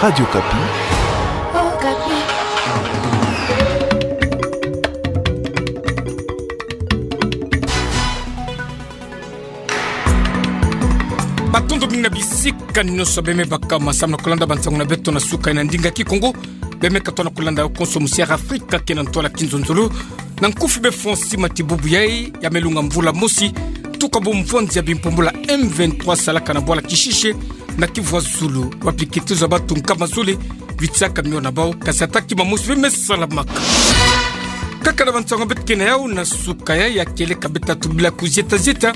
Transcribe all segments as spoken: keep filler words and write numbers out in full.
Radio Okapi. Matondo mingi na bisika nyonso beme baka ma samu na kulanda bansangu na beto na suka ina ndinga Kikongo. Beme katoa na kulanda yo konso musi ya Afrika kena ntwala kinzonzolo. Na nkufi be Francis Matibubu yai, ya melunga mvula mosi, tuka bomvwanzi ya bimpumbula M vingt-trois salaka na bwala Kishishe, na Kivu ya Zulu, wapi kitezo ya batu nkama zole, witiaka mio na bau, kasi ata kima mosi beme salamaka. Kaka na bansangu beto kena yau na suka yai, ya kieleka beto tubila kuzieta zieta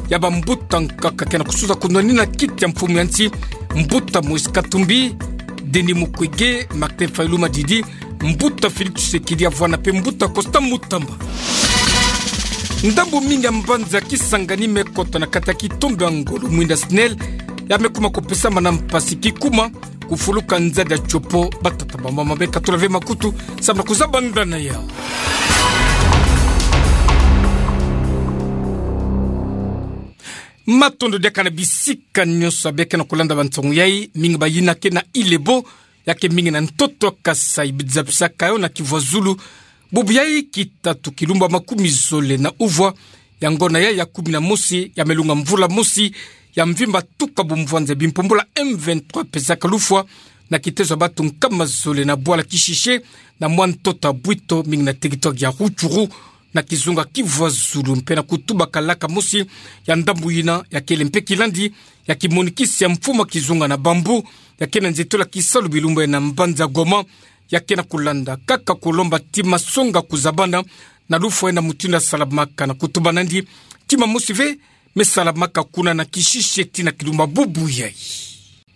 ya bambuta nkaka kena kusuza kunwanina kiti ya mfumu ya nsi, mbuta Moïse Katumbi, Denis Mukwege, Martin Fayulu Madidi, mbuta Félix Tshisekedi Avwana mpe mbuta Constant Mutamba. Ndambu mingi ya mbanza Kisangani mekota na kati ya kitombe ya ngolo mwinda SNEL, ya mekuma kupesama na mpasi kikuma kufuluka nzadi ya tiopo. Batata, bamama, beka tula ve makutu samu na kuzabanda na yau. Matondo diaka na bisika nyonso beke na kulanda bansangu yai, mingi bayina ke na Ile-Ebo, ya ke mingi na ntoto Kasaï, bidzapisaka yo na Kivu ya Zulu. Bubu yai kitatu kilumbu ya makumi zole na uvwa, ya ngona yai ya kumi na mosi ya melunga mvula mosi ya mvimba, tuka bomvwanzi ya bimpumbula M vingt-trois pesaka lufwa na kitezo ya batu nkama zole na bwala Kishishe, na mwa ntoto ya Bwito, mingi na territoire ya Rutshuru, na kizunga Kivu ya Zulu, mpe na kutuba kalaka mosi ya ndambu yina, ya kele mpe kilandi ya kimonikisi ya mfumu ya kizunga na bambu, ya ke na nzietolo ya kisalu bilumbu yai na mbanza Goma, ya ke na kulanda kaka kulomba tima songa kuzabana na lufwa yai na mutindu ya salamaka, na kutuba nandi tima mosi ve me salamaka kuna na Kishishe tii na kilumbu ya bubu yai.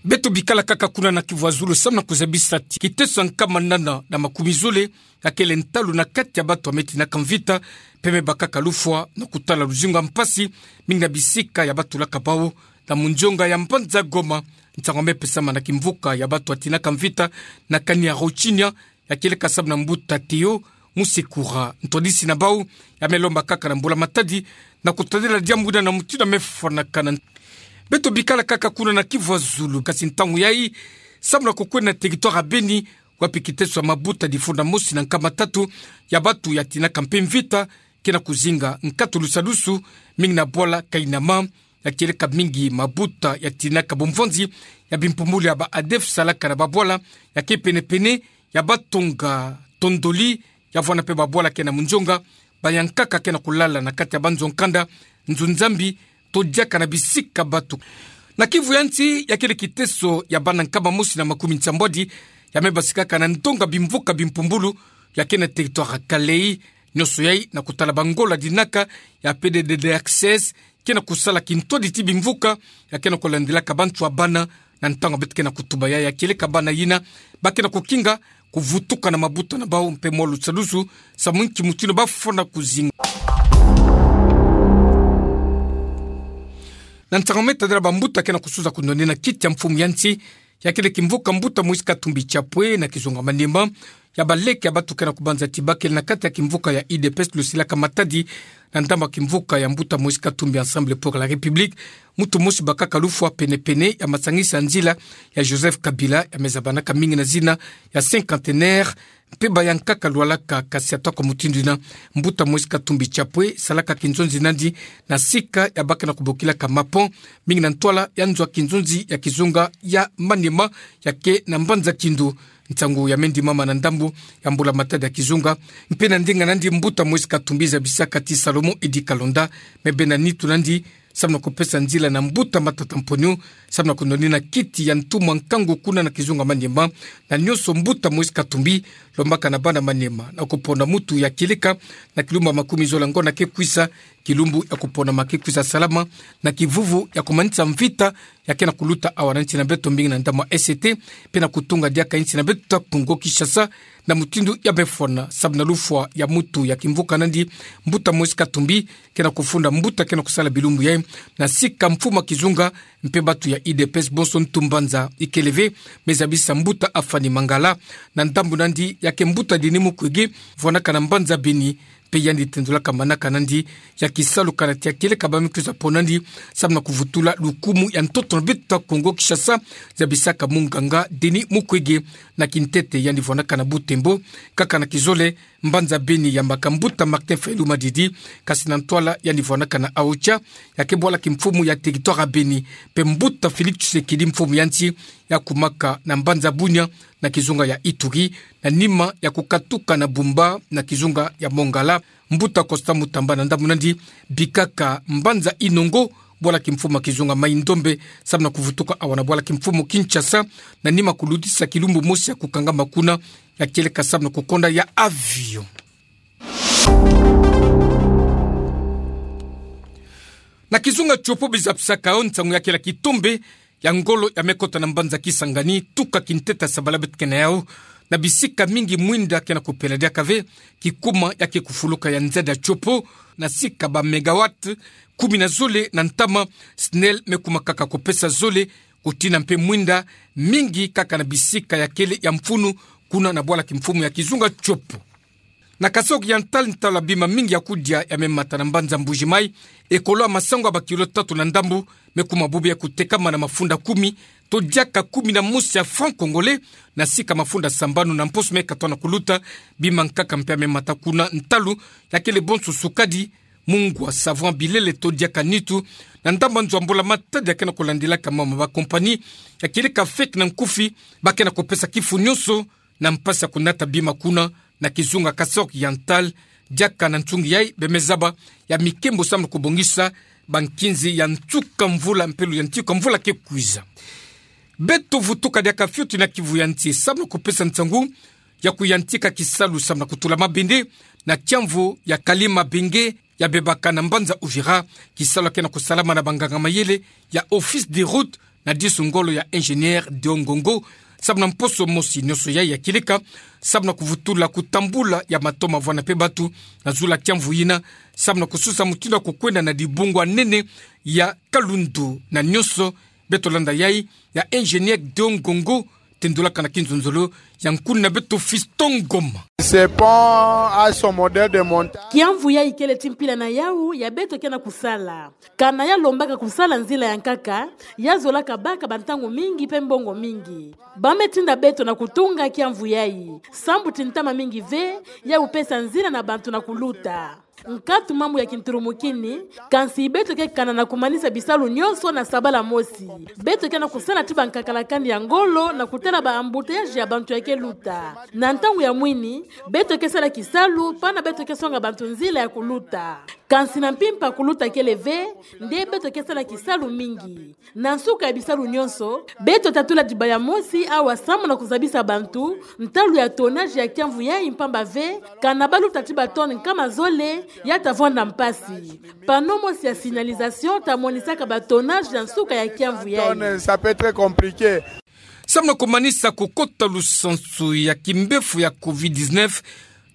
Beto bikala kaka kuna na Kivu ya Zulu samu na kuzabisa ti kiteso ya nkama nana na makumi zole, ya kele ntalu na kati ya batu ya metinaka mvita, mpe me bakaka lufwa na kutala luzingu ya mpasi, mingi na bisika ya batulaka bau, na munzonga ya mbanza Goma. Nsangu ya mepesama na kimvuka ya batu ya tinaka mvita na kani ya Rochinha, ya kieleka samu na mbuta Théo Musekura, ntwadisi na bau, ya melomba kaka na mbula matadi na kutadila diambu yina na mutindu ya mefwanakana. Beto bikala kaka kuna na Kivu ya Zulu, kasi ntangu yai samu na kukwenda na territoire ya Beni, wapi kiteso ya mabuta difunda mosi na nkama tatu ya batu ya tinaka mpe mvita ke na kuzinga nkatu lusadusu, mingi na bwala Kainama, ya kieleka mingi mabuta ya tinaka bomvwanzi ya bimpumbulu ya ba ADF salaka na babwala ya ke penepene ya Batonga, Tondoli, ya vwanda mpe babwala ke na munzonga, bayankaka ke na kulala na kati ya banzo ya nkanda, nzo Nzambi, to diaka na bisika batu. Na Kivu ya nsi, ya kele kiteso ya bana nkama mosi na makumi nsambwadi ya mebasikaka na ndonga bimvuka bimpumbulu ya ke na territoire ya Kalehe, nyonso yai na kutala bangola dinaka ya P D D D X S ke na kusala kintwadi ti bimvuka ya ke na kulandilaka bantu ya bana. Na ntangu beto ke na kutuba yai, ya kieleka bana yina ba ke na kukinga kuvutuka na mabuta na bau mpe mwa lusadusu, samu nki mutindu bafwana kuzinga. Na nsangu me tadila bambuta ke na kusuza kunwanina kiti ya mfumu ya nsi, ya kele kimvuka mbuta Moïse Katumbi Chapwe na kizunga Maniema, ya baleke ya batu ke na kubanza ti ba kele na kati ya kimvuka ya U D P S lusilaka matadi na ndambu ya kimvuka ya mbuta Moïse Katumbi Ensemble pour la République, mutu mosi bakaka lufwa penepene ya masangisi ya nzila ya Joseph Kabila, ya mezabanaka mingi na zina ya cinquantenaire, mpe bayankaka lwalaka, kasi ata kwa mutindu yina, mbuta Moïse Katumbi Chapwe salaka kinzonzi nandi na sika ya ba ke na kubokilaka Mapon, mingi na ntwala ya nzo ya kinzonzi ya kizunga ya Maniema, ya ke na mbanza Kindu. Nsangu ya mendimama na ndambu ya mbula matadi ya kizunga, mpe na ndinga nandi mbuta Moïse Katumbi zabisaka ti Salomon Eddy Kalonda me benda nitu nandi samu na kupesa nzila na mbuta Matata Mponyo samu na kunwanina kiti ya ntumwa nkangu kuna na kizunga Maniema. Na nyonso mbuta Moïse Katumbi lombaka na bana Maniema na kupona mutu ya kieleka na kilumbu ya makumi zola ngona ke kwisa, kilumbu ya kuponama ke kwisa salama na kivuvu ya kumanisa mvita ya ke na kuluta awa na nsi na beto, mingi na ndambu ya E C T, mpe na kutunga diaka nsi na beto Kongo Kinshasa na mutindu ya befwana, samu na lufwa ya mutu ya kimvuka nandi, mbuta Moïse Katumbi, ke na kufunda mbuta ke na kusala bilumbu yai na sika mfumu ya kizunga mpe batu ya U D P S bonso ntu mbanza. Ikele ve me zabisa mbuta Afani Mangala na ndambu nandi, ya ke mbuta Denis Mukwege vwanaka na mbanza Beni, Mpe yandi tendulaka manaka nandi ya kisalu kana tia kieleka ba me kwiza pona nandi, samu na kuvutula lukumu ya ntoto na beto ya Kongo Kinshasa, zabisaka munganga Denis Mukwege. Na kintete yandi vwandaka na Butembo, kaka na kizole mbanza Beni yambaka mbuta Martin Fayulu Madidi, kasi na ntwala yandi vwandaka na Aocha, ya ke bwala kimfumu ya territoire ya Beni, mpe mbuta Félix Tshisekedi mfumu ya nsi, ya kumaka na mbanza Bunia na kizunga ya Ituri, na nima ya kukatuka na Bumba na kizunga ya Mongala. Mbuta Constant Mutamba na ndambu nandi bikaka mbanza Inongo, bwala kimfumu ya kizunga Mai-Ndombe, samu na kuvutuka awa na bwala kimfumu Kinshasa, na nima kulutisa kilumbu mosi ya kukangama kuna, ya kieleka samu na kukonda ya avion. Na kizunga Tshopo bizapisaka yo nsangu ya kela kitombe ya ngolo ya me kota na mbanza Kisangani, tuka kintete ya sabala beto ke na yau, na bisika mingi mwinda ke na kupela diaka ve, kikuma ya ke kufuluka ya nzadi ya Tshopo, na sika ba mégawatt kumi na zole na ntama, SNEL me kuma kaka kupesa zole, kutina mpe mwinda mingi kaka na bisika ya kele ya mfunu, kuna na bwala kimfumu ya kizunga Tshopo. Na Kasaï Oriental, ntalu ya bima mingi ya kudia ya me mata na mbanza Mbuji-Mayi, ekolo ya masangu ya ba kilo tatu na ndambu, me kuma bubu ya kutekama na mafunda kumi, to diaka kumi na mosi ya franc congolais, na sika mafunda sambanu na mposo me katwa na kuluta. Bima nkaka mpe ya me mata kuna, ntalu ya kele bonso sukadi, mungwa, savon, bilele to diaka nitu, na ndambu ya nzo ya mbula matadi ya ke na kulandilaka mama ba compagnie ya kieleka fake na nkufi, ba ke na kupesa kifu nyonso, na mpasi ya kunata bima kuna na kizunga Kasaï Oriental. Diaka na nsungi yai, be me zaba ya mikembo samu na kubongisa ba nkinzi ya nsuka mvula mpe luyantiku ya mvula ke kwiza. Beto vutuka diaka fioti na Kivu ya nsi, samu na kupesa nsangu ya kuyantika kisalu samu na kutula mabende na kiamvu ya Kalima Benge, ya bebaka na mbanza Uvira. Kisalu ya ke na kusalama na banganga mayele ya Office des Routes na disu ngolo ya ingénieur Deo Ngongo, samu na mposo mosi. Nyonso yai ya kieleka samu na kuvutula kutambula ya matoma vwanda mpe batu na zulu ya kiamvu yina, samu na kusosa mutindu ya kukwenda na dibungu ya nene ya Kalundu. Na nyonso beto landa yai ya ingénieur Deo Ngongo, tendulaka na kinzonzolo ya nkuna beto Fiston Ngoma. C'est pas à son modèle de montage. Kiamvu yai kele ti mpila na yau ya beto ke na kusala. Kana ya lombaka kusala nzila ya nkaka, ya zolaka baka bantangu mingi mpe mbongo mingi. Ba me tinda beto na kutunga kiamvu yai, sambu ti ntama mingi ve ya kupesa nzila na bantu na kuluta. Nkatu mambu ya kinturumukini, kansi beto ke kana na kumanisa bisalu nyonso na sabala mosi. Beto ke na kusala ti bankakalakani ya ngolo na kutala ba embouteillage ya bantu ya ke luta. Na ntangu ya mwini, beto ke sala kisalu pana beto ke songa bantu nzila ya kuluta. Kansi na mpimpa kuluta kele ve, nde beto ke sala kisalu mingi. Na nsuka ya bisalu nyonso, beto tatula dibaya mosi awa samu na kuzabisa bantu ntalu ya tonnage ya kiamvu yai, mpamba ve kana ba luta ti ba tonne nkama zole, ya ta vwanda mpasi. Panneau mosi ya signalisation ta monisaka ba tonnage na nsuka ya kiamvu yai. Tonne, ça peut être compliqué. Samu na kumanisa kukota lusansu ya kimbefu ya covid dix-neuf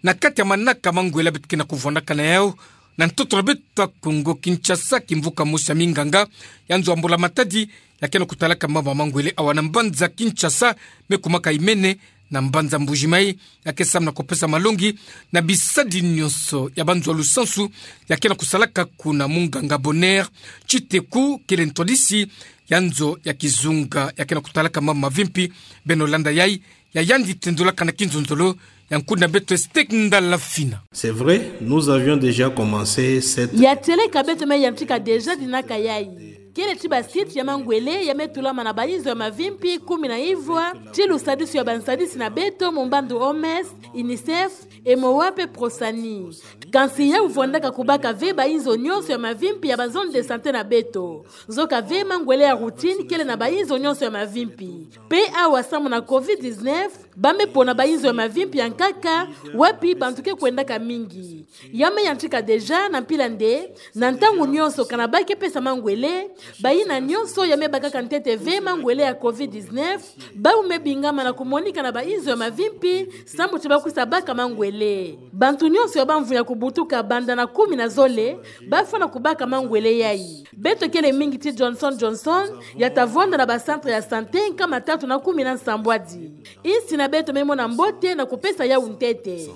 na kati ya manaka ma ngwele beto ke na kuvwandaka na yau na ntoto na beto ya Kongo Kinshasa, kimvuka mosi ya minganga ya nzo ya mbula matadi ya ke na kutalaka mama ma ngwele awa na mbanza Kinshasa, me kumaka imene na mbanza Mbuji-Mayi, ya ke samu na kupesa malongi na bisadi nyonso ya banzo ya lusansu ya ke na kusalaka kuna. Munganga Bonheur Tshiteku kele ntwadisi ya nzo ya kizunga ya ke na kutalaka mama mavimpi. Beno landa yai ya yandi tendulaka na kinzonzolo ya nkuna beto Estek Ndalafina. C'est vrai, nous avions déjà commencé cette... Ya tieleka beto me yantika déjà dinaka yai. Kele ti ba site ya mangwele ya me tulama na bayinzo ya mavimpi kumi na ivwa, ti lusadisu ya bansadisi na beto mu mbandu O M S, UNICEF, MOA mpe Prosani. Kansi ya uvwandaka kubaka ve bayinzo nyonso ya mavimpi ya ba zone de santé na beto. Nzoka ve mangwele ya routine kele na bayinzo nyonso ya mavimpi. Mpe awa samu na covid dix-neuf, ba me pona bayinzo ya mavimpi ya nkaka, wapi bantu ke kwendaka mingi. Ya me yantika déjà na mpila nde, na ntangu nyonso kana ba ke pesa mangwele, Bayina nyonso ya me bakaka ntete ve mangwele ya covid dix-neuf, bau me bingama na kumonika na bainzo ya mavimpi, sambu ti bakwisa baka mangwele. Bantu nyonso ya bamvuni ya kubutuka banda na kumi na zole, bafwana kubaka mangwele yayi. Beto kele mingi ti Johnson Johnson, ya ta vwanda na bacentre ya santé nkama tatu na kumi na nsambwadi. Insi na beto me mona mbote na kupesa yau ntete.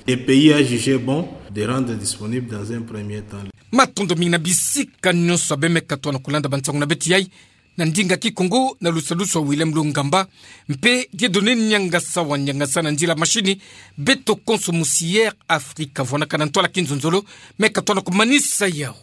Le pays a jugé bon de rendre disponible dans un premier temps. Matondo mingi na bisika nyonso ya beno me katoa na kulanda bansangu na beto yayi na ndinga Kikongo, na lusalusu ya William Lungamba, mpe Dieudonné Niangasa wa Niangasa na nzila mashini. Beto konso musi Air Afrika, vwanaka na ntwala kinzonzolo, me katoa na kumanisa yau.